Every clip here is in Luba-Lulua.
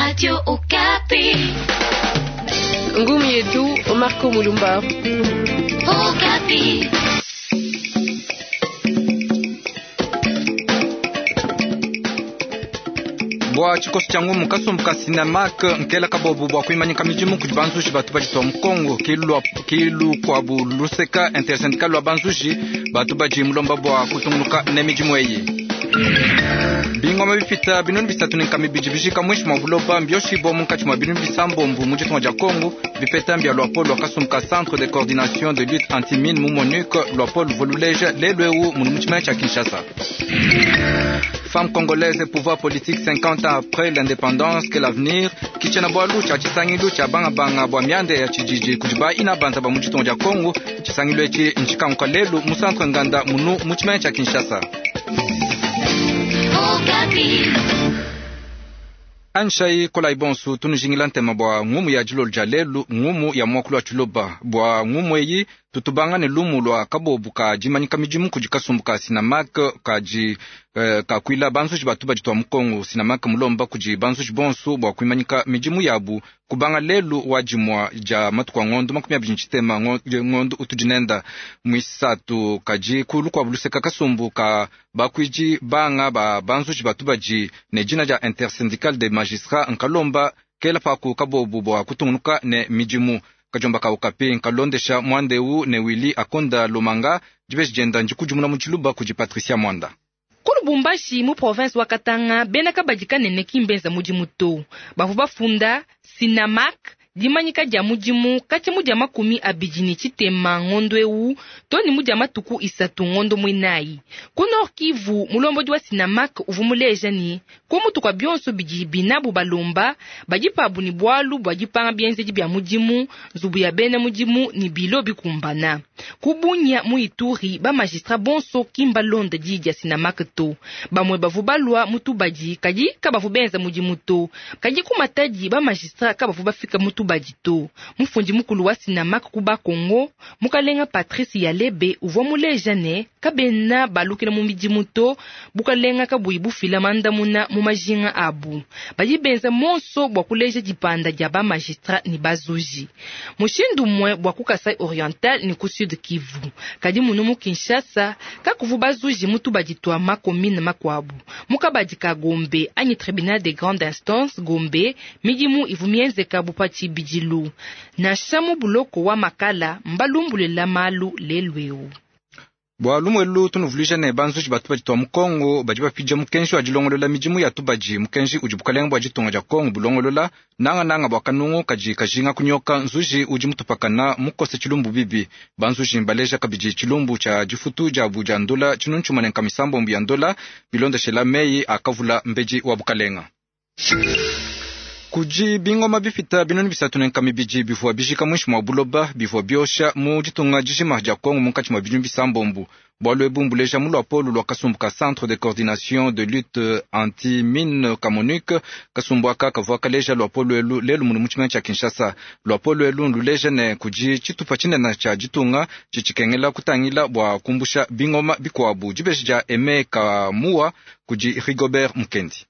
Radio Okapi. Ngumu yetu Marco Mulumba. Okapi. Bua tshikoso tshia ngumu kasumbu ka Sinamak nkela kabobu bua kuimanyika midimu kudi banzuji batu badi twa mukongo kilu kuabu luseka intersyndical lwa banzuji batu badi mulomba bua kutungunuka ne midimu eyi. Bingoma bipita binunu bisatu ne nkama ibidi bijika muinshi mua buloba mbioshibua munkatshi mua binunu bisambombo mu ditunga dia Kongo bipeta mbia luapolo lua kasumbu ka Centre de coordination de lutte anti-mine mu MONUC luapolo luvua luleja lelu eu munu mu tshimenga tshia Kinshasa. Femme congolaise et pouvoir politique 50 ans après l'indépendance, quel avenir? Kichena bwalu cha chisangilu cha banga banga bwa miande ya chijiji kujiba ina banza ba mu ditunga dia Kongo chisangilu echi nchikanguka lelu mu centre nganda munu mu tshimenga tshia Kinshasa. Okapi. Anshai kolai bonsu tunujingila ntema bua ngumu ya dilolo dia lelu ngumu ya muakulu wa tshiloba bua ngumu eyi tutubanga ne lumu lua kabobu ka dimanyika midimu kudi kasumbu ka Sinamak kadi kakuila banzuji batu badi tua mukongo Sinamak mulomba kudi banzuji bonsu bua kuimanyika midimu yabu kubanga lelu wa dimua dia matuku a ngondo 20 tshitema ngondo utudi nenda mwisatu kadi ku lukuabu luseka kasumbu ka bakuidi banga ba banzuji batu badi ne dina dia intersyndical des magistrats nkalomba kela paku kabobu bua kutungunuka ne midimu kajomba ka Okapi nkalondesha mwandeu ne Willy Akonda Lomanga dibeji dienda ndikudimuna mu tshiluba kudi Patricia Mwanda. Ku Lubumbashi mu province wa Katanga bena kabadi kanene kimbenza mudimu to bavua bafunda Sinamak dimanyika dia mudimu katshia mu dia 23 ngondo eu to ne mu dia matuku 3 ngondo muinayi. Ku Nord Kivu mulombodi wa Sinamak uvua muleja ne ku mutu kua bionso bidi binabu balomba badi pabu ne bualu bua dipanga bienzedi bia mudimu nzubu ya bena mudimu ne bilo bikumbana. Ku Bunia mu Ituri ba magistrat bonso kimbalonda diyi dia Sinamak to bamue bavua balua mu tubadi kadi kabavua benza mudimu to kadi ku Matadi ba magistrat kabavua bafika mu tubadi to. Mufundi mukulu wa Sinamak ku Bakongo mukalenga Patrice Yalebe uvua muleja ne kabena balukila mu midimu to bukalenga kabuyi bufila mandamuna mu majinga abu badi benza monso bua kuleja dipanda dia ba magistrat ne bazuji mushindu umue bua ku Kasai Oriental ne ku Sud Kivu kadi munu mu Kinshasa kakuvu bazuji mu tubadi tua makomine makuabu mu kabadi ka Gombe anyi tribunal de grande instance Gombe midimu ivu mienzeka bu pa tshibidilu nansha mu buloko wa Makala mbalumbulela malu lelu eu. Bua lumuelu tunuvuluija ne banzuji batu badi tua mukongo badi bapidia mukenji wa dilongolola midimu ya tubadi mukenji udi bukalenga bua ditunga dia Kongo bulongolola nangananga bua kanungu kadi kajinga kunyoka nzuji udi mutupakana mukose tshilumbu bibi. Banzuji mbaleja kabidi tshilumbu tshia difutu diabu dia ndola tshinunu tshimue ne nkama isambombo ya ndola bilondeshela meyi akavula mbedi wa bukalenga. Kudi bingoma bipita binunu bisatu ne nkama ibidi bivua bijika muinshi mua buloba bivua biosha mu ditunga dijima dia Kongo munkatshi mua bidimu bisambombo. Bualu ebu mbuleja mu luapolo lua kasumbu ka Centre de coordination de lutte anti-mine ka MONUC. Kasumbu aka kavua kaleja luapolo elu lelu munu mu tshimenga tshia Kinshasa. Luapolo elu nduleja ne kudi tshitupa tshinene tshia ditunga tshitshikengela kutangila bua kumbusha bingoma bikuabu. Dibeji dia Aime Kamua kudi Rigobert Mukendi.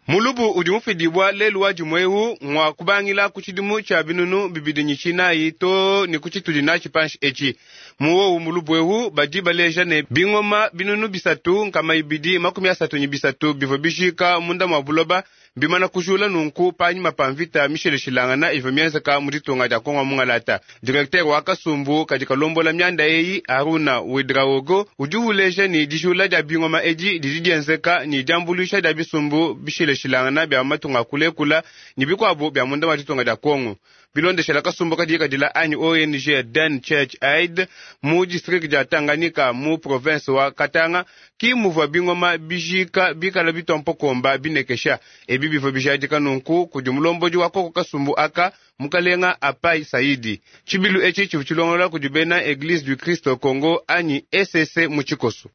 Mulubu udi mufidibua lelu wa dimue ngwa kubangila ku tshidimu tshia 2024 to ne ku tshitudi natshi panshi etshi. Muwowu mulubu ewu badi baleja ne bingoma 3233 bivua bijika munda mua buloba bimana kujula nunku panyima pa mvita misheleshilangana ivua mienzeka mu ditunga dia Kongo mungalata. Directeur wa kasumbu kadi kalombola mianda eyi Aruna Ouedraogo udi uleja ne dijula dia bingoma edi didi dienzeka ne diambuluisha dia bisumbu bisheleshilangana bia matunga kulekula ne bikuabu bia munda wa ditunga dia Kongo. Bilondeshela kasumbu kadi kadila anyi ONG Dan Church Aid mu district dia Tanganyika mu province wa Katanga ki muvua bingoma bijika bikala bitompokomba binekesha ebi bivua bijadika nunku kudi mulombodi wa koko kasumbu aka mukalenga Apai Saidi. Tshibilu etshi tshivua tshilongolola kudi bena Eglise du Christ Congo anyi ECC mu tshikoso.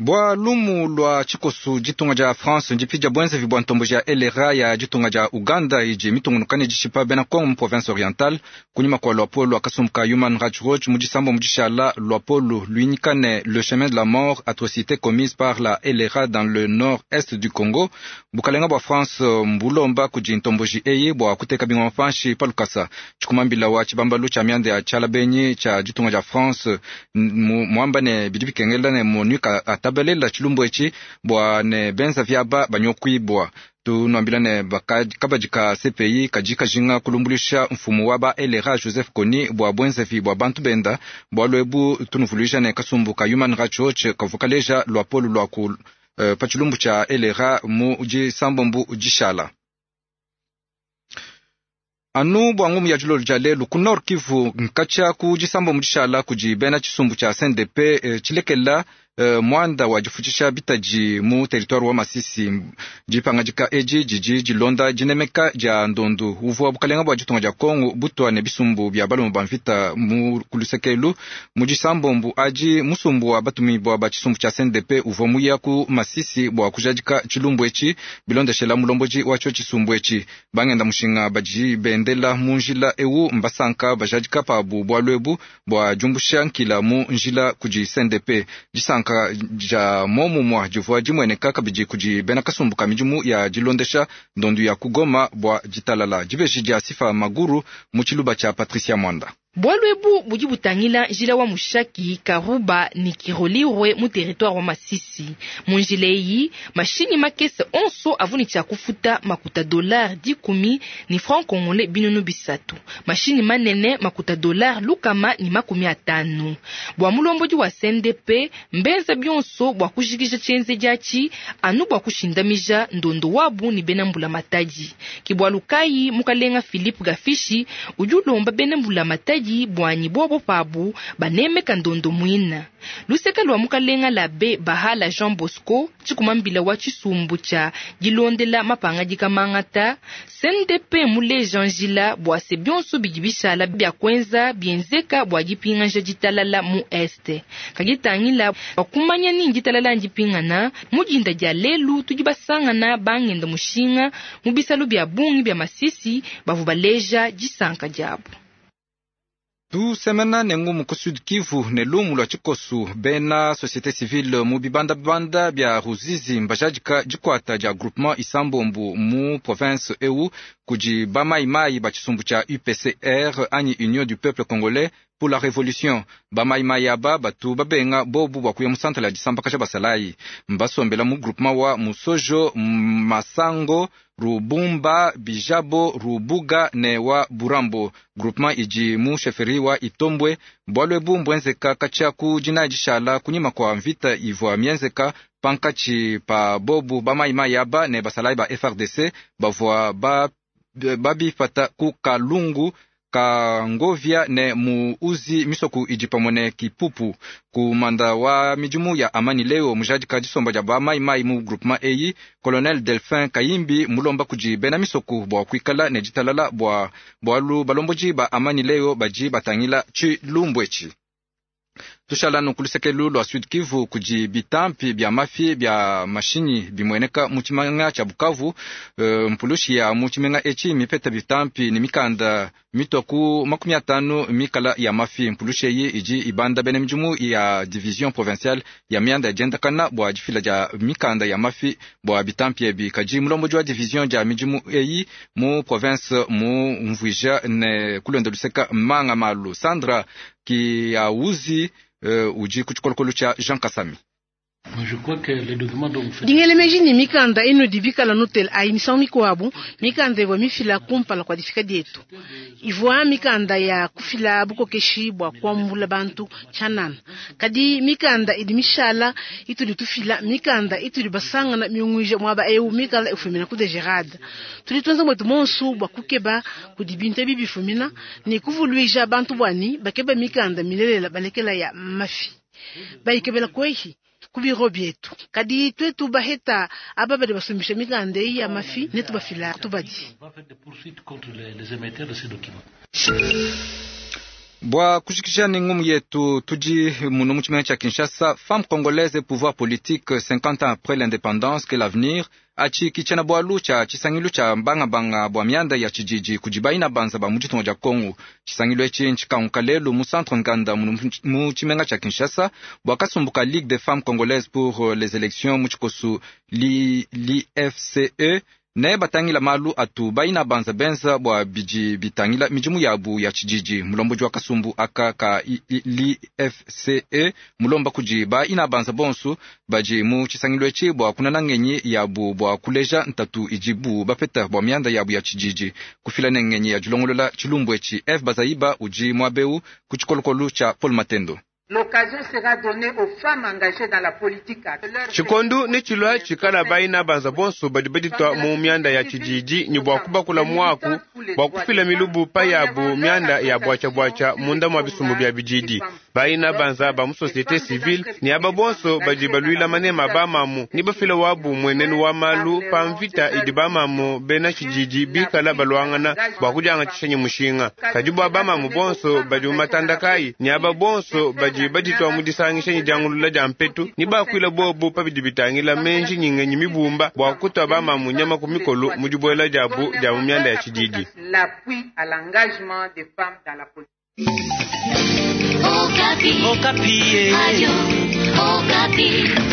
Bua lumu lua tshikosu, ditunga dia France ndipidia bwenzevi bua ntomboji ya LRA ya ditunga dia Uganda idi mitungunuka ne dishipa bena Congo mu province orientale. Kunyima kua luapolo lua kasumbu ka Human Rights Watch mu disambo mu dishala, luapolo luinyika ne Le chemin de la mort, atrocités commises par la LRA dans le nord-est du Congo. Bukalenga bua France mbulomba kudi ntomboji eyi bua kuteka bingoma panshi pa lukasa. Tshikumambila wa tshibambalu tshia mianda ya tshialabenyi tshia ditunga dia France muamba ne bidi bikengela ne MONUC atabalela tshilumbu etshi bua ne benza viaba banyokuibua. Tunuambila ne kabadi ka CPI kadi kajinga kulumbulisha mfumu wa ba LRA Joseph Kony bua bwenzevi bua bantu benda. Bualu ebu tunuvuluija ne kasumbu ka Human Rights Watch kavua kaleja luapolo lua ku pa tshilumbu tshia LRA mu disambombu dishala. Anu bua ngumu ya dilolo dia lelu ku Nord Kivu nkatshia ku disambombu dishala kudi bena tshisumbu tshia CNDP tshilekela muanda wa difutshisha bitadi mu territoire wa Masisi. Dipangadika edi didi dilonda dinemeka dia ndondu uvua bukalenga bua ditunga dia Kongo butua ne bisumbu bia balume ba mvita mu kulusekelu. Mu disambombu adi musumbu wa batumibua ba tshisumbu tshia CNDP uvua muya ku Masisi bua kujadika tshilumbu etshi bilondeshela mulombodi wa tshio tshisumbu etshi. Bangenda mushinga badi bendela mu njila ewu mbasanka bajadika pabu bualu ebu bua diumbusha nkila mu njila kudi CNDP. Disanka dia momumua divua dimueneka kabidi kudi bena kasumbu ka midimu ya dilondesha ndondu ya kugoma bua ditalala. Dibeji dia Sifa Maguru mu tshiluba tshia Patricia Mwanda. Bualu ebu budi butangila njila wa Mushaki, Karuba ne Kirolirwe mu territoire wa Masisi. Mu njila eyi mashinyi makese onso avua ne tshia kufuta makuta dollar 10 ne franc congolais 300. Mashinyi manene makuta dollar 150. Bua mulombodi wa CNDP mbenza bionso bua kujikija tshienzedi atshi anu bua kushindamija ndondo wabu ne bena mbula matadi. Ke bualu kayi mukalenga Philippe Gafishi udi ulomba bena mbula matadi bwanyi bobo pabu banemeka ndondo mwina. Luseka lwa mukalenga la be Bahala Jean Bosco tshikumambila wa tshisumbu tshia dilondela mapangadika mangata CNDP muleja njila bua se bionso bidi bishala bia kwenza bienzeka bua dipinganja ditalala mu este. Kagitangila bakumanya ni ditalala ndipingana mudinda dia lelu tudi basangana bangenda mushinga mu bisalu bia bungi bia Masisi bavu baleja disanka diabu. Tusemena ne ngumu ku Sud Kivu ne lumu lua tshikosu bena société civile mu bibandabanda bia Ruzizi mbajadika dikwata dia groupement Isambombu mu province eu kudi bamaimai ba tshisumbu tshia UPCR anyi Union du Peuple Congolais pour la Révolution. Bamaimai aba batu babenga bobu bua kuya mu centre ya disambaka basalayi mbasombela mu groupement wa Musojo, Masango, Rubumba, Bijabo, Rubuga ne wa Burambo. Groupement idi mu chefferie wa Itombwe. Bualu ebu mbwenzeka katshia ku dina dishala kunyima kwa mvita ivua mienzeka pankatshi pa bobu bamaimai aba ne basalayi ba FRDC bavua babipata ku Kalungu Kangovia ne muuzi misoku idi pamwe ne Kipupu. Kumanda wa midimu ya amani leo mujadika disomba dia bamaimai mu groupement eyi Colonel Delphin Kayimbi mulomba kudi bena misoku bua kuikala ne ditalala bua bualu balomboji ba amani leo badi batangila tshilumbu etshi. Tushala kulusekelu lua Sud Kivu kudi bitampi bia mafi bia mashinyi bimueneka mu tshimenga tshia Bukavu. Mpulushi ya mu tshimenga etshi mipeta bitampi ne mikanda mitwa ku 50 mikala ya mafi. Mpulushi eyi idi ibanda bena midimu ya division provinciale ya mianda ya diendakana bua difila dia mikanda ya mafi bua bitampi ebi. Kadi mulombodi wa division dia midimu eyi mu province mu mvuija ne kulonda luseka manga malu Sandra Kiauzi udi ku tshikolokolo tshia Jean Kasami. Dingelemeji ni mikanda ino dibikala notel ayi misangu mikuabu mikanda ivua mifila kumpala kua difika dietu ivua mikanda ya kufila bukokeshi bua kuambula bantu tshianana kadi mikanda idi mishala itudi tufila mikanda itudi basangana miunguija muaba eu mikala ifumina ku DGRAD tudi tuenza mwetu monsu bua kukeba kudi bintu ebi bifumina ne kuvuluija bantu bwani bakeba mikanda milelela balekela ya mafi bayikebela kwehi kubiro bietu kadi twetu baheta aba badi basumbisha mikanda eyi ya mafi ne tubafila tubadi. Bua kushikisha ne ngumu yetu, tudi muno mu tshimenga tshia Kinshasa. Femme congolaise et pouvoir politique 50 ans après l'indépendance, quel avenir? Atshi ki tshiena-bualu tshia tshisangilu tshia bangabanga bua mianda ya tshididi kudi baina banza ba mu ditunga dia Kongo. Tshisangilu etshi ntshikanguka lelu mu centre Nganda muno mu tshimenga tshia Kinshasa bua kasumbu ka Ligue des femmes congolaises pour les élections mu tshikosu l'IFCE ne batangila malu atu baina banza benza bua bidi bitangila midimu yabu ya tshididi. Mulombodi wa kasumbu aka ka l'IFCE mulomba kudi baina banza bonso badi mu tshisangilu etshi bua kunana ngenyi yabu bua kuleja ntatu idibu bapeta bua mianda yabu ya tshididi, kufila ne ngenyi ya dilongolola tshilumbu etshi. Eve Bazaiba udi muabeu ku tshikolokolo tshia Paul Matendo. L'occasion sera donnée aux femmes engagées dans la politique. Tshikondu ne tshilua tshikala baina banza bonso badi baditua mu mianda ya tshididi ne bua kubakula muaku bua kufila milubu pa yabu mianda ya bwatshia-bwatshia munda mua bisumbu bia bididi. Baina banza ba mu société civile ne aba bonso badi baluila manema bamamu ne bafila wabu muenenu wa malu pa mvita idi bamamu bena tshididi bikala baluangana bua kudiangatshisha ne mushinga. Kadi bua bamamu bonso badi mu matanda kayi ne aba bonso badi baditua mu disangisha ne diangulula dia mpetu ne bakuila bobu pa bidi bitangila menji ne ngenyi mibumba bua kutua bamamu nyama ku mikolo mu dibuela diabu dia mu mianda ya tshididi. L'appui à l'engagement des femmes dans la politique. Okapi. Okapi. Radio Okapi.